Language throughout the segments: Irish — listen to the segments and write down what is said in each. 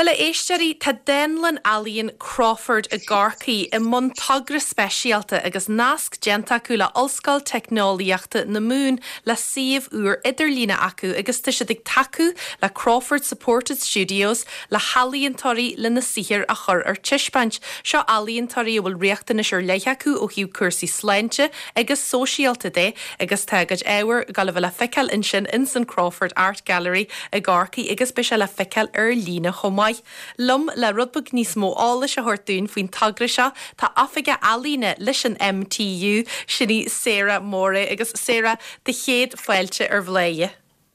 Bhuel, a éisteoirí, tá Dánlann Ealaíon Crawford i gCorcaigh i mbun togra speisialta agus nasc déanta acu le Ollscoil Teicneolaíochta na Mumhan le suíomh úr idirlíne acu agus tá siad ag tacú le Crawford Supported Studios le healaíontóirí lena saothar a chur ar taispeáint. Seo ealaíontóirí a bhfuil riachtanais ar leith acu ó thaobh cúrsaí sláinte agus sóisialta de agus tá a gcuid ábhair ag dul a bheith le feiceáil ansin ins an Crawford Art Gallery i gCorcaigh agus beidh sé le feiceáil ar líne chomh maith. Liom le rud beag níos mó eolais a thabhairt dúinn faoin togra seo tá Oifigeach Ealaíne leis an MTU, sin í Sarah Moray agus Sarah, do chéad fáilte ar Bhladhaire.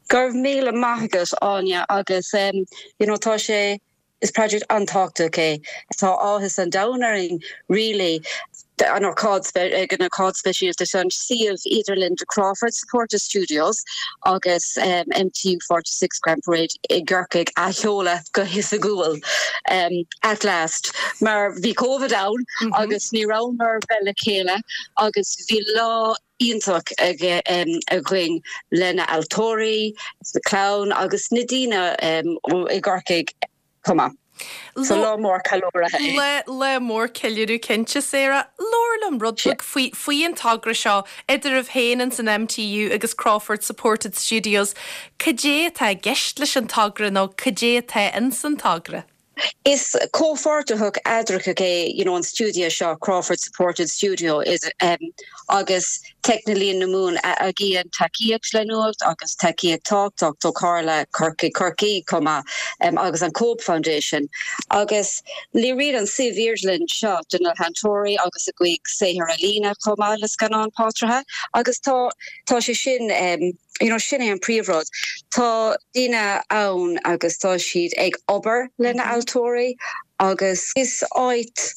Go raibh míle maith agat Áine agus you know tá sé Is project an-tábhachtach é. Tá áthas an domhain orainn really an ócáid ag an ócáid speisialta seo an suíomh idirlín de Crawford Supported Studios agus MTU 46 Grand Parade i gCorcaigh a sheoladh go hoifigiúil at last mar bhí Covid ann agus ní rabhamar bheith le chéile agus bhí lá iontach againn le na healaíontóirí, na clann agus na daoine i gCorcaigh chomh maith. So lá mór ceiliúrtha é. Lá mór ceiliúradh cinnte, Sarah. Labhair liom rud beag faoi faoi an togra seo idir sibh féin ins an MTU agus Crawford Supported Studios. Cad é atá i gceist leis an togra nó cad é atá ins an togra? Is comhpháirteach eadrachach é you know an stiúideo seo, Crawford Supported Studio, is agus Teicneolaíon na Mumhan a fhaigheann tacaíocht leanúnach agus tacaíocht tábhachtach ó Chomhairle Chorcaí Chorcaí chomh maith agus an Cope Foundation. Agus léiríonn an suíomh idirlín seo do na healaíontóirí agus a gcuid saothar ealaíne chomh maith le scannáin portráide agus tá tá sé sin you know sin é an príomhrud. Tá daoine ann agus tá siad ag obair le na healaíontóirí agus is áit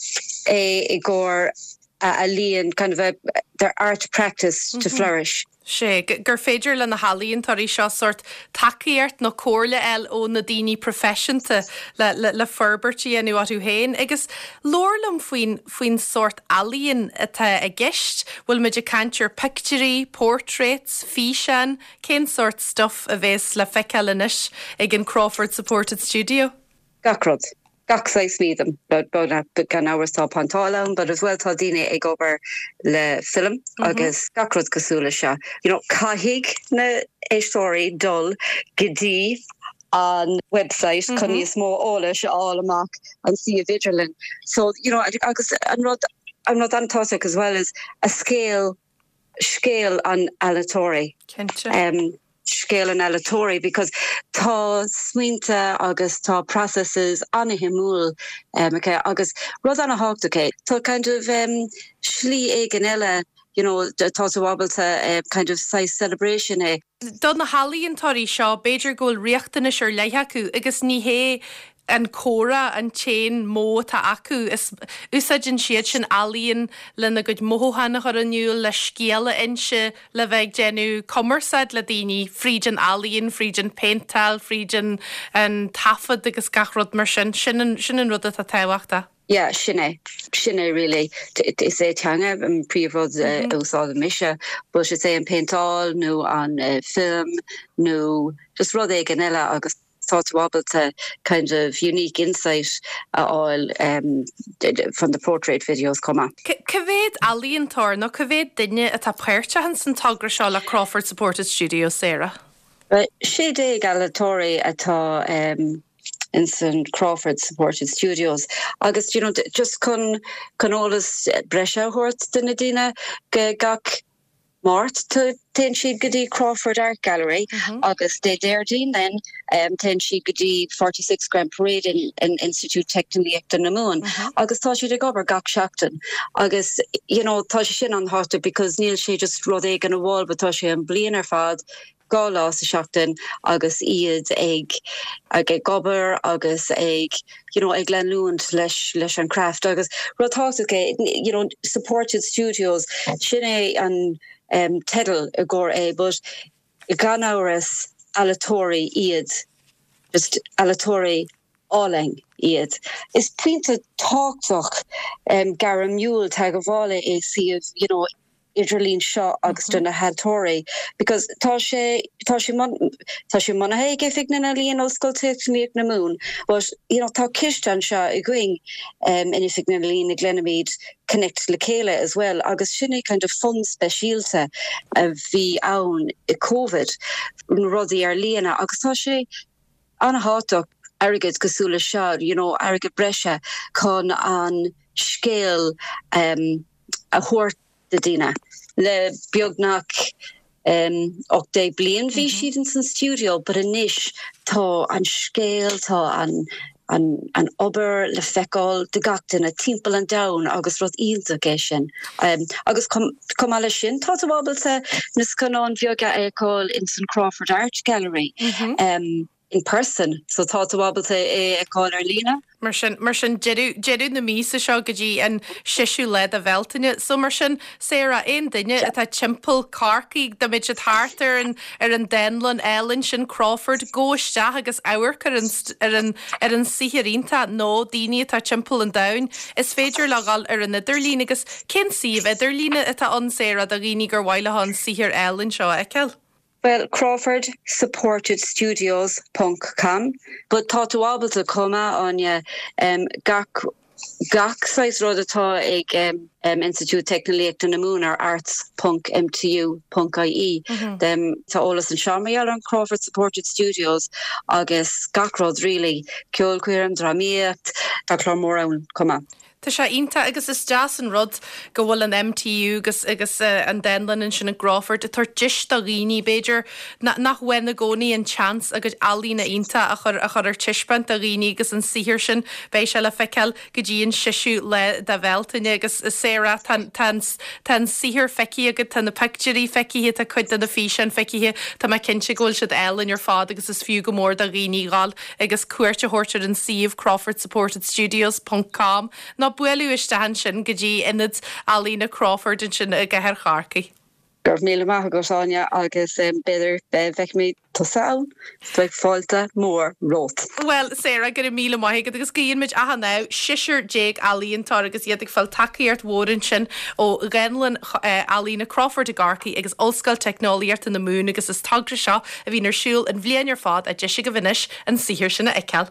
é i gcomhair a ealaíon kind of a their art practice to flourish. Sea, gur féidir le na healaíontóirí seo sórt tacaíocht nó comhairle a fháil ó na daoine proifisiúnta le le le forbairt a dhéanamh orthu féin. Agus labhair liom faoin faoin sórt ealaíon atá i gceist. Bhfuil muid ag caint ar pictiúirí, portraits, físeáin? Cén sórt stuff a bhéas le feiceáil anois ag an Crawford Supported Studio? Gach rud. Gach saghas medium. Gan amhras tá péinteáil ann but as well tá daoine ag obair le film agus gach rud cosúil le seo. You know caithfidh na éisteoirí dul go dtí an website chun níos mó eolais a fháil amach an suíomh idirlín. So, you know, agus an rud, an rud an-tábhachtach as well is a scéal, scéal an ealaíontóirí. Cinnte. Um, scéal an ealaíontóirí because tá smaointe agus tá processes an-shuimiúil um, aici agus rud an-tábhachtach é. Tá kind of um, slí éigin eile you know, tá tú ábalta uh, kind of saghas celebration é. Do na healaíontóirí seo, b'fhéidir go bhfuil riachtanais ar leith acu agus ní hé an comhrá an t-aon modh atá acu. Is úsáideann siad sin ealaíon lena gcuid mothúchán a chur in iúl, le scéal a inse, le bheith ag déanamh cumarsáid le daoine fríd an ealaíon, fríd an phéinteáil, fríd an an taifead agus gach rud mar sin. Sin an sin an rud atá tábhachtach. Yeah, sin é. Sin é really. Is é teanga an príomhrud a úsáideann mise, but is é an péinteáil nó an film nó just rud éigin eile agus tá tú ábalta kind of unique insight a fháil from the portrait videos chomh maith. Cá mhéad ealaíontóir nó cá mhéad duine atá páirteach ins an togra seo le Crawford Supported Studios, Sarah? 16 ealaíontóirí atá ins an Crawford Supported Studios agus you know just chun chun eolas breise a thabhairt do na daoine go gach Máirt téann siad go dtí Crawford Art Gallery agus Dé Déardaoin then téann siad go dtí 46 Grand Parade in in Institiúid Teicneolaíochta na Mumhan agus tá siad ag obair gach seachtain agus you know tá sé sin an-tábhachtach because níl sé just rud éigin amháin but tá sé an bliain ar fad 2 lá sa seachtain agus iad ag ag ag obair agus ag you know ag leanúint leis leis an craft agus rud tábhachtach é you know supported studios sin é an um teideal i gcomhair é but gan amhras ealaíontóirí iad just ealaíontóirí álainn iad. Is pointe tábhachtach um gairmiúil teagmhála é suíomh you know. idirlíon seo agus do na healaíontóirí because tá sé tá sé tá sé maoinithe ag Oifig na nEalaíon Ollscoil Teicneolaíocht na Mumhan but you know tá ciste anseo againn um, in Oifig na nEalaíon a glaoimid Connect le chéile as well agus sin é kind of fund speisialta a bhí ann i Covid na rudaí ar líne agus tá sé an-thábhachtach airgead cosúil le seo you know airgead breise chun an scéal um, a thabhairt do daoine. Le beagnach 18 bliain bhí siad ins an stiúideo but anois tá an scéal, tá an an obair le feiceáil do gach duine timpeall an domhain agus rud iontach é sin. Agus chomh maith leis sin tá tú ábalta na scannáin bheaga a fheiceáil ins an Crawford Art Gallery. in person so tá tú ábalta é a fheiceáil ar líne. Mar sin, mar sin, deireadh, deireadh na míosa seo go dtí an seisiú lá de Bhealtaine. So mar sin, Sarah, aon duine atá timpeall Corcaigh, dá mbeadh siad thart ar an, ar an dánlann álainn sin, Crawford, gabh isteach agus amharc ar an, ar an, ar an saothar iontach nó daoine atá timpeall an domhain, is féidir leo dhul ar an idirlíon agus cén suíomh idirlíne atá ann, Sarah, do dhaoine gur mhaith leo an saothar álainn seo a fheiceáil? Bhuel, Crawford Supported Studios ponc com. But tá tú ábalta chomh maith, Áine, gach, gach saghas rud atá ag Institiúid Teicneolaíochta na Mumhan ar arts ponc MTU ponc IE. Tá eolas anseo mar gheall ar an Crawford Supported Studios agus gach rud really, ceolchoirm, drámaíocht, tá clár mór ann chomh maith. Tá sé iontach agus is deas an rud go bhfuil an MTU agus agus an dánlann ansin i gCrawford ag tabhairt deis do dhaoine, b'fhéidir, nach bhfaigheann i gcónaí an tseans a gcuid ealaíne iontach a chur a chur ar taispeáint do dhaoine agus an saothar sin, beidh sé le feiceáil go dtí an seisiú lá de Bhealtaine agus Sarah, tá tá an tá an saothar feicthe agat, tá na pictiúirí feicthe, tá cuid de na físeáin feicthe, tá mé cinnte go bhfuil siad álainn ar fad agus is fiú go mór do dhaoine dhul agus cuairt a thabhairt ar an suíomh crawfordsupportedstudios ponc com nó bualadh isteach ansin go dtí Ionad Ealaíne Crawford ansin i gcathair Chorcaí. Go raibh míle maith agat, Áine, agus b'fhéidir feicfimid tusa ann, beidh fáilte mhór romhat. Bhuel, Sarah, go raibh míle maith agat agus guíonn muid achan ádh, 16 ealaíontóir agus iad ag fáil tacaíocht mhór ansin ó Dhánlann Ealaíne Crawford i gCorcaigh agus Ollscoil Teicneolaíochta na Mumhan agus is togra seo a bhíonn ar siúl an bhliain ar fad, deis agaibh anois an saothar sin a fheiceáil.